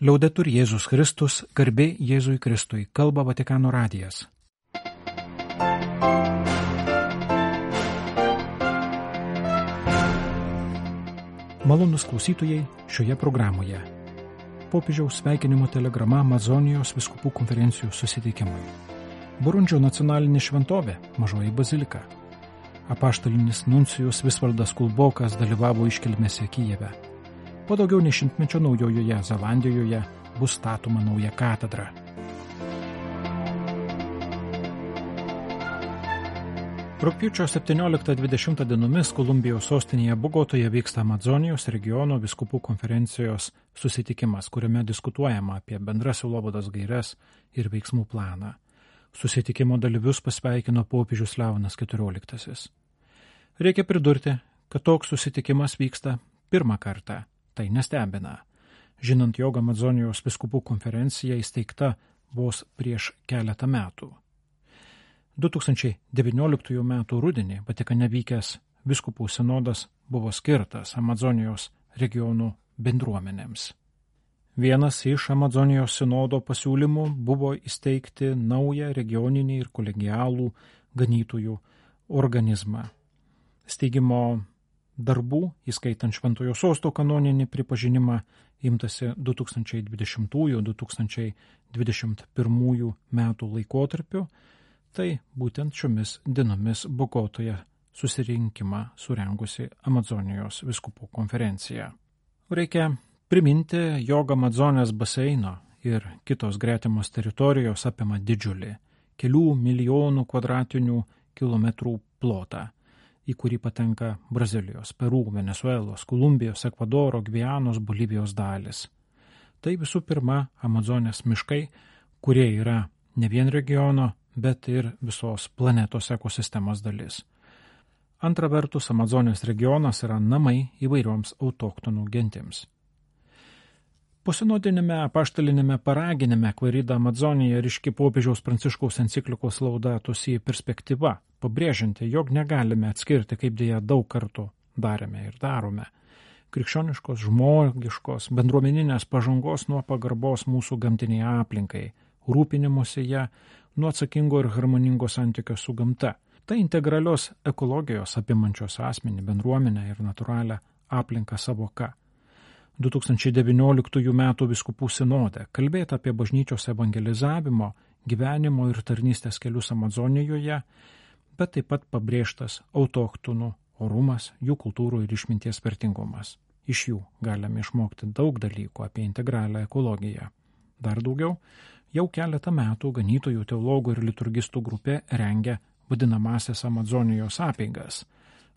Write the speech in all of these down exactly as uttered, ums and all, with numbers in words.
Liaudetur Jėzus Kristus, garbė Jėzui Kristui, kalba Vatikano radijas. Malonūs klausytojai šioje programoje. Popiežiaus sveikinimo telegrama Amazonijos vyskupų konferencijų susitikimui. Burundžio nacionalinė šventovė, Mažoji bazilika. Apaštalinis nuncijus Visvaldas Kulbokas dalyvavo iškilmėse Kijeve. Po daugiau nei šimtmečio Naujojoje Zelandijoje bus statoma nauja katedra. Rugpjūčio septynioliktą dvidešimtą dienomis Kolumbijos sostinėje Bogotoje vyksta Amazonijos regiono vyskupų konferencijos susitikimas, kuriame diskutuojama apie bendras sielovados gaires ir veiksmų planą. Susitikimo dalyvius pasveikino popiežius Leonas keturioliktasis. Reikia pridurti, kad toks susitikimas vyksta pirmą kartą. Tai nestebina, žinant, jog Amazonijos vyskupų konferencija įsteigta vos prieš keletą metų. du tūkstančiai devynioliktųjų metų rudenį Vatikane vykęs vyskupų sinodas buvo skirtas Amazonijos regionų bendruomenėms. Vienas iš Amazonijos sinodo pasiūlymų buvo įsteigti naują regioninį ir kolegialų ganytojų organizmą. Steigimo darbų, įskaitant Šventojo Sosto kanoninį pripažinimą, imtasi du tūkstančiai dvidešimtųjų - du tūkstančiai dvidešimt pirmųjų metų laikotarpiu, tai būtent šiomis dienomis Bogotoje susirinkimą surengusi Amazonijos vyskupų konferencija. Reikia priminti, jog Amazonės baseino ir kitos gretimos teritorijos apima didžiulį, kelių milijonų kvadratinių kilometrų plotą, į kurį patenka Brazilijos, Peru, Venezuelos, Kolumbijos, Ekvadoro, Gvianos, Bolivijos dalis. Tai visų pirma Amazonės miškai, kurie yra ne vien regiono, bet ir visos planetos ekosistemos dalis. Antra vertus, Amazonės regionas yra namai įvairioms autochtonų gentims. Posinodinėme apaštalinėme paraginime Clarida Amazonija ryški popiežiaus Pranciškaus enciklikos Laudato Si perspektyva, pabrėžianti, jog negalime atskirti, kaip dėja daug kartų darėme ir darome, krikščioniškos, žmogiškos, bendruomeninės pažangos nuo pagarbos mūsų gamtiniai aplinkai, rūpinimuose ją nuo atsakingo ir harmoningo santykio su gamta. Tai integralios ekologijos apimančios asmenį, bendruomenę ir natūralią aplinką savoka. du tūkstančiai devynioliktųjų metų vyskupų sinode kalbėta apie bažnyčios evangelizavimo, gyvenimo ir tarnystės kelius Amazonijoje, bet taip pat pabrėžtas autochtonų orumas, jų kultūrų ir išminties vertingumas. Iš jų galime išmokti daug dalykų apie integralią ekologiją. Dar daugiau, jau keletą metų ganytojų, teologų ir liturgistų grupė rengia vadinamąsias Amazonijos apeigas.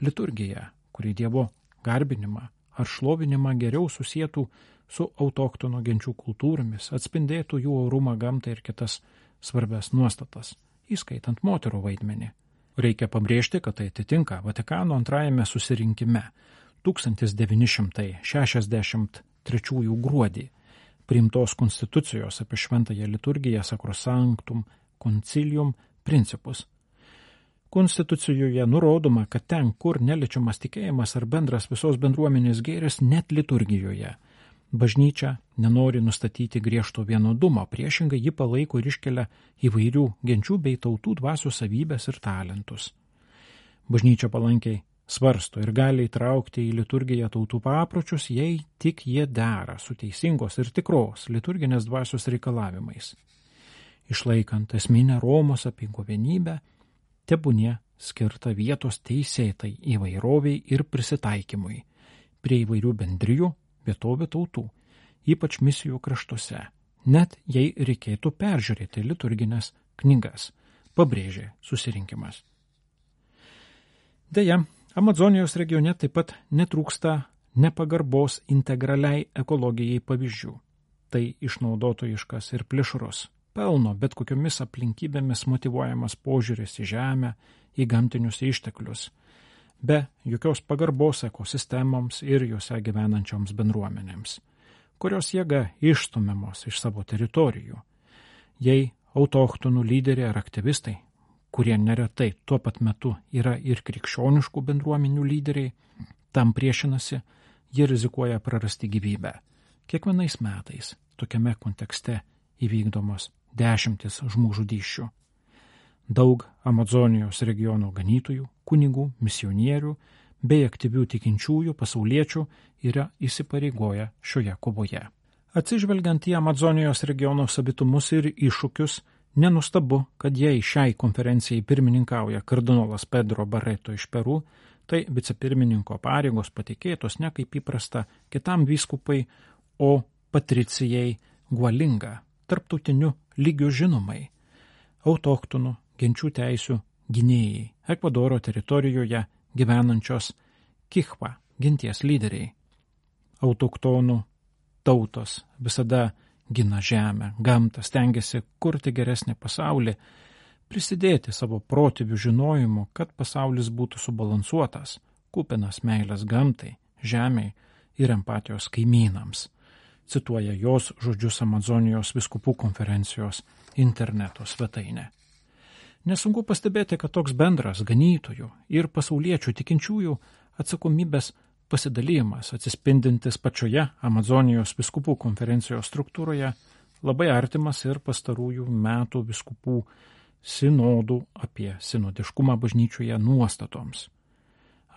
Liturgija, kuri Dievo garbinimą ar šlovinimą geriau susietų su autochtonų genčių kultūromis, atspindėtų jų orumą, gamtą ir kitas svarbias nuostatas, įskaitant moterų vaidmenį. Reikia pabrėžti, kad tai atitinka Vatikano antrajame susirinkime tūkstantis devyni šimtai šešiasdešimt trečiųjų gruodį priimtos konstitucijos apie šventąją liturgiją Sacrosanctum Concilium principus. Konstitucijoje nurodoma, kad ten, kur neliečiamas tikėjimas ar bendras visos bendruomenės gėris, net liturgijoje, bažnyčia nenori nustatyti griežto vienodumo, priešingai ji palaiko ir iškelia įvairių genčių bei tautų dvasių savybės ir talentus. Bažnyčia palankiai svarsto ir gali įtraukti į liturgiją tautų papročius, jei tik jie dera su teisingos ir tikros liturginės dvasios reikalavimais. Išlaikant esminę Romos apeigų vienybę, tebūnie skirta vietos teisėtai įvairoviai ir prisitaikymui prie įvairių bendrijų, vietovių tautų, ypač misijų kraštuose, net jei reikėtų peržiūrėti liturginės knygas, pabrėžė susirinkimas. Deja, Amazonijos regione taip pat netrūksta nepagarbos integraliai ekologijai pavyzdžių. Tai išnaudotojiškas ir plėšrus, pelno bet kokiomis aplinkybėmis motyvuojamas požiūris į žemę, į gamtinius išteklius, be jokios pagarbos ekosistemoms ir juose gyvenančioms bendruomenėms, kurios jėga išstumiamos iš savo teritorijų. Jei autochtonų lyderiai ar aktyvistai, kurie neretai tuo pat metu yra ir krikščioniškų bendruomenių lyderiai, tam priešinasi, jie rizikuoja prarasti gyvybę. Kiekvienais metais tokiame kontekste įvykdomos dešimtis žmogžudysčių. Daug Amazonijos regiono ganytojų, kunigų, misionierių bei aktyvių tikinčiųjų pasauliečių yra įsipareigoję šioje kovoje. Atsižvelgiant į Amazonijos regiono savitumus ir iššūkius, nenustabu, kad jei šiai konferencijai pirmininkauja kardinolas Pedro Barreto iš Peru, tai vicepirmininko pareigos patikėtos ne kaip įprasta kitam vyskupai, o Patricijai Gualinga, tarptautiniu lygiu žinomai, autochtonų genčių teisių gynėjai, Ekvadoro teritorijoje gyvenančios Kichwa genties lyderiai. Autochtonų tautos visada gina žemę, gamtą, stengiasi kurti geresnį pasaulį, prisidėti savo protėvių žinojimu, kad pasaulis būtų subalansuotas, kupinas meilės gamtai, žemei ir empatijos kaimynams, cituoja jos žodžius Amazonijos vyskupų konferencijos interneto svetainė. Nesunku pastebėti, kad toks bendras ganytojų ir pasauliečių tikinčiųjų atsakomybės pasidalymas, atsispindintis pačioje Amazonijos vyskupų konferencijos struktūroje, labai artimas ir pastarųjų metų vyskupų sinodų apie sinodiškumą bažnyčioje nuostatoms.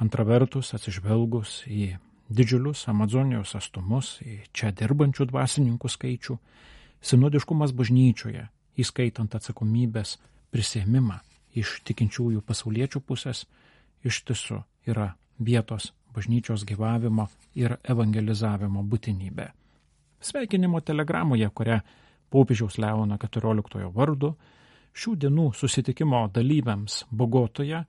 Antra vertus, atsižvelgus į didžiulius Amazonijos atstumus, į čia dirbančių dvasininkų skaičių, sinodiškumas bažnyčioje, įskaitant atsakomybės prisėmimą iš tikinčiųjų pasauliečių pusės, iš tiesų yra vietos bažnyčios gyvavimo ir evangelizavimo būtinybė. Sveikinimo telegramoje, kurią popiežiaus Leono keturioliktojo vardu šių dienų susitikimo dalyviams Bogotoje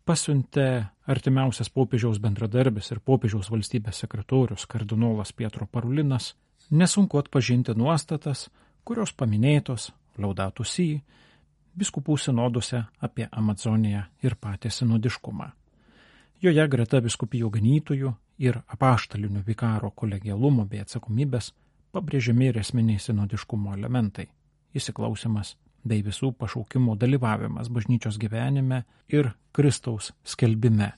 pasiuntė artimiausias popiežiaus bendradarbis ir popiežiaus valstybės sekretorius kardinolas Pietro Parolinas, nesunku atpažinti nuostatas, kurios paminėtos Laudato Si vyskupų sinoduose apie Amazoniją ir patį sinodiškumą. Joje greta vyskupijų ganytojų ir apaštalinių vikaro kolegialumo bei atsakomybės pabrėžiami ir esminiai sinodiškumo elementai – įsiklausimas bei visų pašaukimų dalyvavimas bažnyčios gyvenime ir Kristaus skelbime.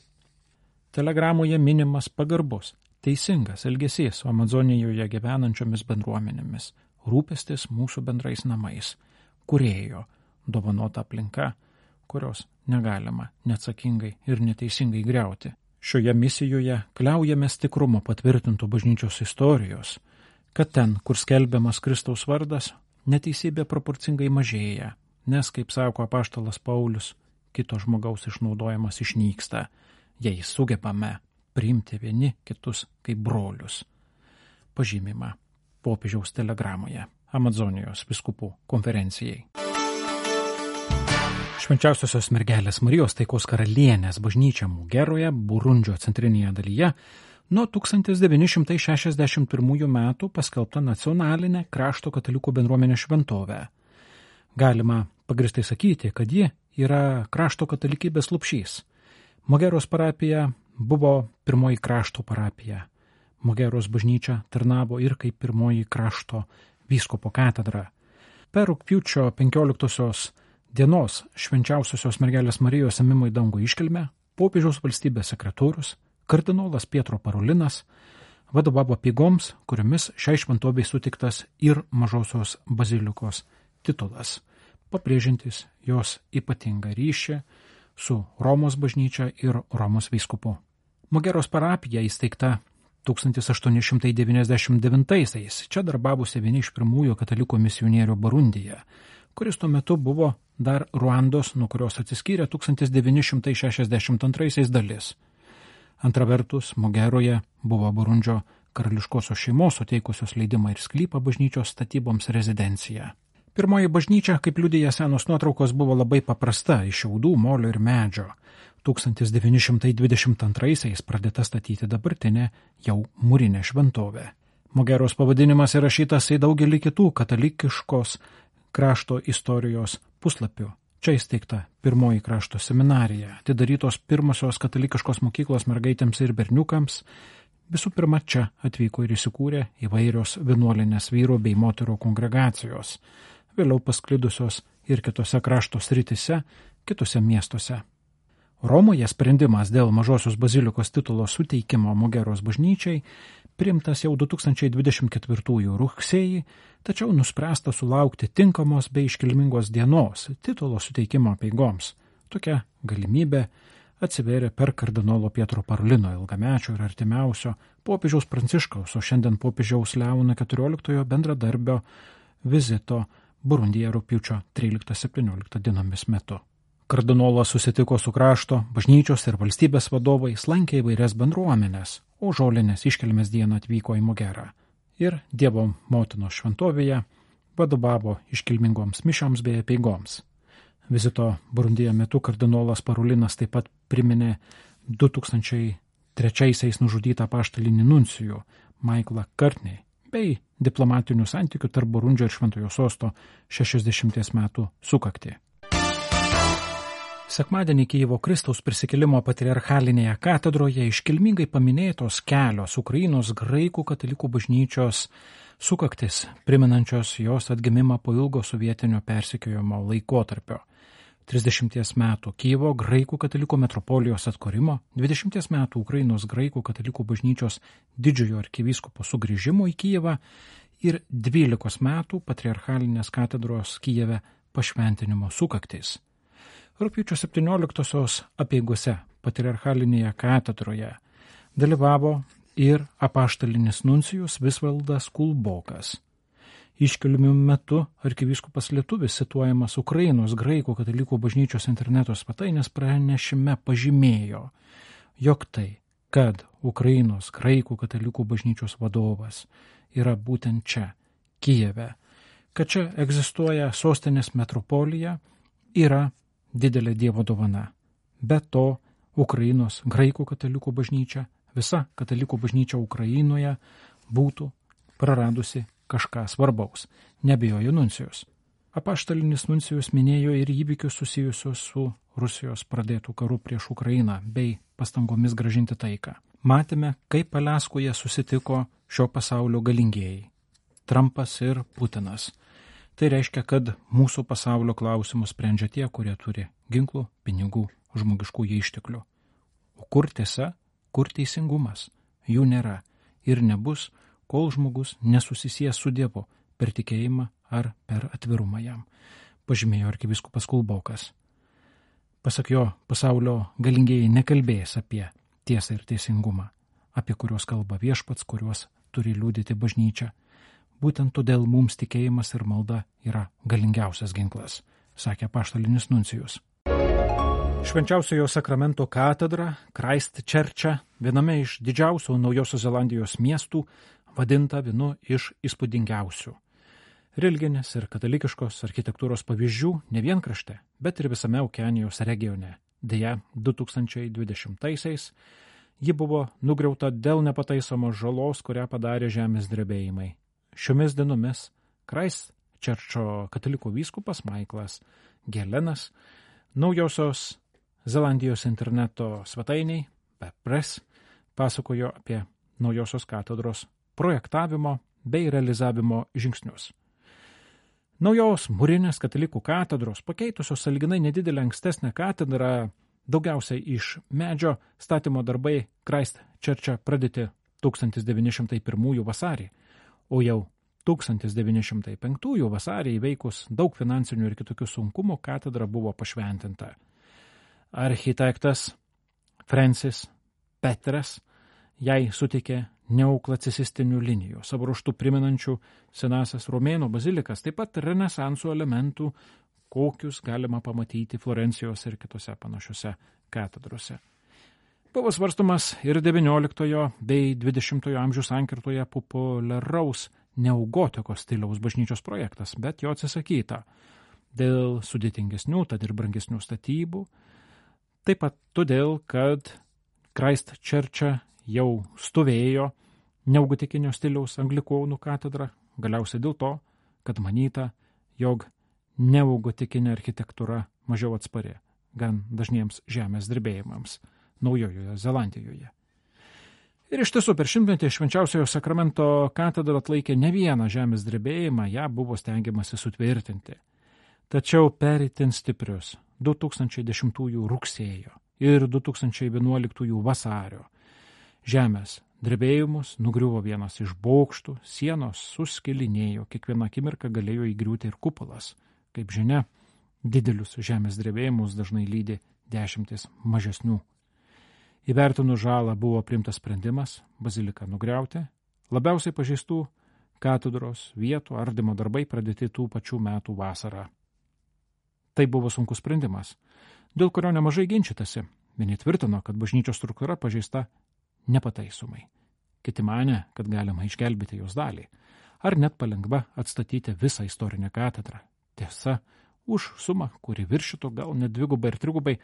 Telegramoje minimas pagarbus, teisingas elgesys su Amazonijoje gyvenančiomis bendruomenėmis, rūpestis mūsų bendrais namais, kūrėjo, dovanota aplinka, kurios negalima neatsakingai ir neteisingai griauti. Šioje misijoje kliaujamės tikrumo patvirtintų bažnyčios istorijos, kad ten, kur skelbiamas Kristaus vardas, neteisybė proporcingai mažėja, nes, kaip sako apaštalas Paulius, kito žmogaus išnaudojimas išnyksta, jei sugebame priimti vieni kitus kaip brolius. Pažymima popiežiaus telegramoje Amazonijos vyskupų konferencijai. Švenčiausiosios mergelės Marijos taikos karalienės bažnyčia Mugeroje, Burundžio centrinėje dalyje, nuo tūkstantis devyni šimtai šešiasdešimt pirmųjų metų paskelbta nacionalinė krašto katalikų bendruomenės šventovė. Galima pagristai sakyti, kad ji yra krašto katalikybės lupšys. Mugeros parapija buvo pirmoji krašto parapija. Mugeros bažnyčia tarnavo ir kaip pirmoji krašto vyskupo katedra. Per rugpjūčio penkioliktosios dienos švenčiausiosios mergelės Marijos ėmimo į dangų iškilmę popiežiaus valstybės sekretorius kardinolas Pietro Parolinas vadovavo apeigoms, kuriomis šiai šventovei sutiktas ir mažosios bazilikos titulas, pabrėžiantis jos ypatingą ryšį su Romos bažnyčia ir Romos vyskupu. Mugeros parapija įsteigta tūkstantis aštuoni šimtai devyniasdešimt devintaisiais, čia darbavosi vieni iš pirmųjų katalikų misionierių Burundyje, kuris tuo metu buvo dar Ruandos, nuo kurios atsiskyrė tūkstantis devyni šimtai šešiasdešimt antraisiais dalis. Antra vertus, Mugeroje buvo Burundžio karališkosios šeimos suteikusios leidimą ir sklypą bažnyčios statyboms rezidencija. Pirmoji bažnyčia, kaip liudija senos nuotraukos, buvo labai paprasta, iš šiaudų, molio ir medžio. tūkstantis devyni šimtai dvidešimt antraisiais pradėta statyti dabartinė jau mūrinė šventovė. Mugeros pavadinimas įrašytas į daugelį kitų katalikiškos krašto istorijos puslapių. Čia įsteigta pirmoji krašto seminarija, atidarytos pirmosios katalikiškos mokyklos mergaitėms ir berniukams. Visų pirma, čia atvyko ir įsikūrė įvairios vienuolinės vyrų bei moterų kongregacijos, vėliau pasklidusios ir kitose krašto srityse, kitose miestuose. Romoje sprendimas dėl mažosios bazilikos titulo suteikimo Mugeros bažnyčiai priimtas jau du tūkstančiai dvidešimt ketvirtųjų rugsėjį, tačiau nuspręsta sulaukti tinkamos bei iškilmingos dienos titulo suteikimo apeigoms. Tokia galimybė atsivėrė per kardinolo Pietro Parolino ilgamečio ir artimiausio popiežiaus Pranciškaus, o šiandien popiežiaus Leono keturioliktojo bendradarbio vizito Burundyje rugpjūčio tryliktą septynioliktą dienomis metu. Kardinolas susitiko su krašto, bažnyčios ir valstybės vadovais, lankė įvairias bendruomenės, o žolinės iškilmės dieną atvyko į Mogerą ir Dievo motinos šventovėje vadovavo iškilmingoms mišioms bei apeigoms. Vizito Burundyje metu kardinolas Parolinas taip pat priminė du tūkstančiai trečiaisiais nužudytą apaštalinį nuncijų Maiklą Kartney bei diplomatinių santykių tarp Burundžio ir Šventojo sosto šešiasdešimties metų sukaktį. Sekmadienį Kijevo Kristaus prisikėlimo patriarchalinėje katedroje iškilmingai paminėtos kelios Ukrainos graikų katalikų bažnyčios sukaktis, primenančios jos atgimimą po ilgo sovietinio persekiojimo laikotarpio. trisdešimties metų Kijevo graikų katalikų metropolijos atkūrimo, dvidešimties metų Ukrainos graikų katalikų bažnyčios didžiojo arkivyskupo sugrįžimo į Kijevą ir dvylikos metų patriarchalinės katedros Kijeve pašventinimo sukaktis. Rugpjūčio septynioliktosios apeigose patriarchalinėje katedroje dalyvavo ir apaštalinis nuncijus Visvaldas Kulbokas. Iškilmių metu arkivyskupas lietuvis cituojamas Ukrainos graikų katalikų bažnyčios interneto svetainės pranešime pažymėjo, jog tai, kad Ukrainos graikų katalikų bažnyčios vadovas yra būtent čia, Kijeve, kad čia egzistuoja sostinės metropolija, yra didelė Dievo dovana. Be to, Ukrainos graikų katalikų bažnyčia, visa katalikų bažnyčia Ukrainoje būtų praradusi kažką svarbaus, nebijojo nuncijus. Apaštalinis nuncijus minėjo ir įvykius susijusius su Rusijos pradėtų karu prieš Ukrainą bei pastangomis gražinti taiką. Matėme, kaip Aliaskoje susitiko šio pasaulio galingieji – Trumpas ir Putinas. Tai reiškia, kad mūsų pasaulio klausimus sprendžia tie, kurie turi ginklų, pinigų, žmogiškųjų išteklių. O kur tiesa, kur teisingumas? Jų nėra ir nebus, kol žmogus nesusisies su Dievu per tikėjimą ar per atvirumą jam, pažymėjo arkivyskupas Kulbokas. Pasak jo, pasaulio galingieji nekalbės apie tiesą ir teisingumą, apie kuriuos kalba viešpats, kuriuos turi liudyti bažnyčia. Būtent todėl mums tikėjimas ir malda yra galingiausias ginklas, sakė apaštalinis nuncijus. Švenčiausiojo sakramento katedra Christchurche, viename iš didžiausių Naujosios Zelandijos miestų, vadinta vienu iš įspūdingiausių religinės ir katalikiškos architektūros pavyzdžių ne vien krašte, bet ir visame Okeanijos regione. Deja, du tūkstančiai dvidešimtaisiais ji buvo nugriauta dėl nepataisomos žalos, kurią padarė žemės drebėjimai. Šiomis dienomis Christchurcho katalikų vyskupas Maiklas Gelenas Naujosios Zelandijos interneto svetainiai Bepress pasakojo apie Naujosios katedros projektavimo bei realizavimo žingsnius. Naujos mūrinės katalikų katedros, pakeitusios sąlyginai nedidelę ankstesnę katedrą, daugiausiai iš medžio, statymo darbai Christchurche pradėti tūkstantis devyni šimtai pirmųjų vasarį, o jau tūkstantis devyni šimtai penktųjų vasarį įveikus daug finansinių ir kitokių sunkumų katedra buvo pašventinta. Architektas Francis Petras jai suteikė neoklasicistinių linijų, savo ruožtu primenančių senasias Romėnų bazilikas, taip pat renesanso elementų, kokius galima pamatyti Florencijos ir kitose panašiose katedrose. Buvo svarstomas ir devynioliktojo bei dvidešimtojo amžių sankirtoje populiaraus neogotikos stiliaus bažnyčios projektas, bet jo atsisakyta dėl sudėtingesnių, tad ir brangesnių statybų, taip pat todėl, kad Christchurche jau stovėjo neogotikinio stiliaus anglikonų katedra, galiausiai dėl to, kad manyta, jog neogotikinė architektūra mažiau atspari gan dažniems žemės drebėjimams Naujojoje Zelandijoje. Ir iš tiesų per šimtmetį švenčiausiojo sakramento katedra atlaikė ne vieną žemės drebėjimą, ją buvo stengiamasi sutvirtinti. Tačiau per itin stiprius du tūkstančiai dešimtųjų rugsėjo ir du tūkstančiai vienuoliktųjų vasario žemės drebėjimus, nugriuvo vienas iš bokštų, sienos suskilinėjo, kiekvieną akimirką galėjo įgriūti ir kupolas. Kaip žinia, didelius žemės drebėjimus dažnai lydi dešimtis mažesnių. Įvertinus žalą buvo priimtas sprendimas baziliką nugriauti. Labiausiai pažeistų katedros vietų ardymo darbai pradėti tų pačių metų vasarą. Tai buvo sunkus sprendimas, dėl kurio nemažai ginčytasi. Vieni tvirtino, kad bažnyčios struktūra pažeista nepataisomai. Kiti manė, kad galima išgelbėti jos dalį, ar net palengva atstatyti visą istorinę katedrą. Tiesa, už sumą, kuri viršytų gal net dvigubai ir trigubai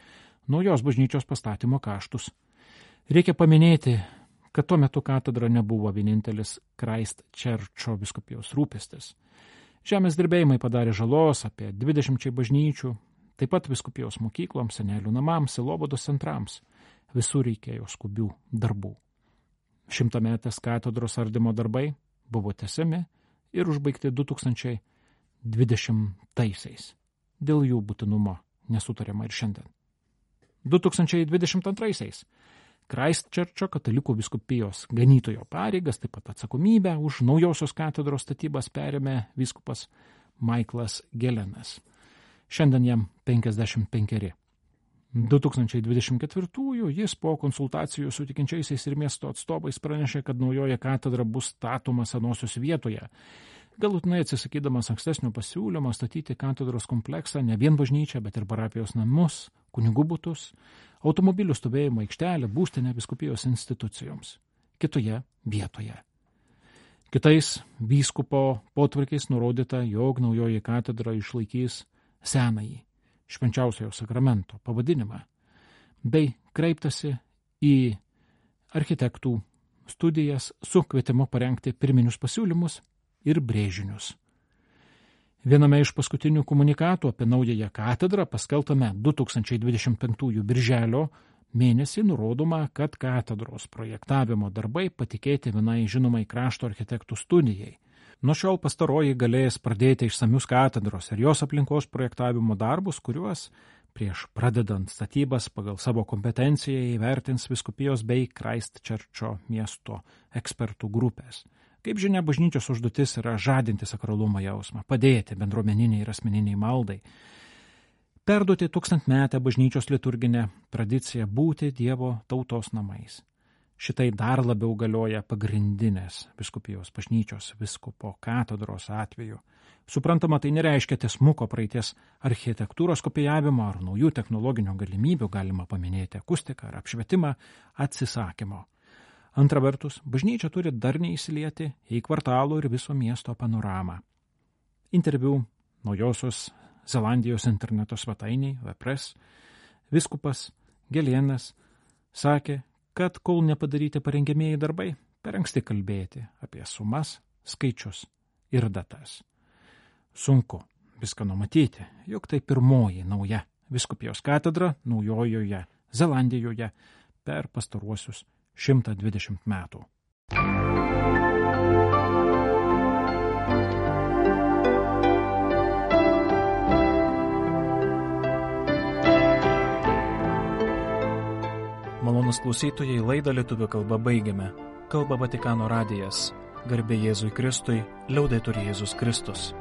naujos bažnyčios pastatymo kaštus. Reikia paminėti, kad tuo metu katedra nebuvo vienintelis Kraistčerčo vyskupijos rūpestis. Žemės drebėjimai padarė žalos apie dvidešimčiai bažnyčių, taip pat vyskupijos mokykloms, senelių namams, sielovados centrams. Visur reikėjo skubių darbų. Šimtametės katedros ardymo darbai buvo tęsiami ir užbaigti du tūkstančiai dvidešimtaisiais. Dėl jų būtinumo nesutariama ir šiandien. du tūkstančiai dvidešimt antraisiais Kraistčerčo katalikų vyskupijos ganytojo pareigas, taip pat atsakomybę už naujosios katedros statybas perėmė vyskupas Maiklas Gelenas. Šiandien jam penkiasdešimt penkeri. du tūkstančiai dvidešimt ketvirtųjų jis po konsultacijų su tikinčiaisiais ir miesto atstovais pranešė, kad naujoji katedra bus statoma senosios vietoje, galutinai atsisakydamas ankstesnio pasiūlymo statyti katedros kompleksą ne vien bažnyčią, bet ir parapijos namus, kunigų butus, automobilių stovėjimo aikštelę, būstinę vyskupijos institucijoms kitoje vietoje. Kitais vyskupo potvarkiais nurodyta, jog naujoji katedra išlaikys senąjį švenčiausiojo sakramento pavadinimą, bei kreiptasi į architektų studijas su kvietimu parengti pirminius pasiūlymus ir brėžinius. Viename iš paskutinių komunikatų apie naująją katedrą paskelbtame du tūkstančiai dvidešimt penktųjų birželio mėnesį nurodoma, kad katedros projektavimo darbai patikėti vienai žinomai krašto architektų studijai. Nuo šiol pastaroji galės pradėti išsamius katedros ir jos aplinkos projektavimo darbus, kuriuos prieš pradedant statybas pagal savo kompetenciją įvertins vyskupijos bei Kraistčerčo miesto ekspertų grupės. Kaip žinia, bažnyčios užduotis yra žadinti sakralumo jausmą, padėti bendruomeniniai ir asmeniniai maldai, perduoti tūkstantmetę bažnyčios liturginę tradiciją būti Dievo tautos namais. Šitai dar labiau galioja pagrindinės vyskupijos bažnyčios vyskupo katedros atveju. Suprantama, tai nereiškia tiesmuko praeities architektūros kopijavimo ar naujų technologinių galimybių, galima paminėti akustiką ar apšvietimą, atsisakymo. Antra vertus, bažnyčia turi darniai įsilieti į kvartalų ir viso miesto panoramą. Interviu Naujosios Zelandijos interneto svetainiai W P R E S vyskupas Gelienas sakė, kad kol nepadaryti parengiamieji darbai, per anksti kalbėti apie sumas, skaičius ir datas. Sunku viską numatyti, jog tai pirmoji nauja vyskupijos katedra Naujojoje Zelandijoje per pastaruosius šimtą dvidešimt metų. Malonus klausytojai, laidą lietuvių kalba baigiame. Kalba Vatikano radijas. Garbė Jėzui Kristui, liaudetur Jėzus Kristus.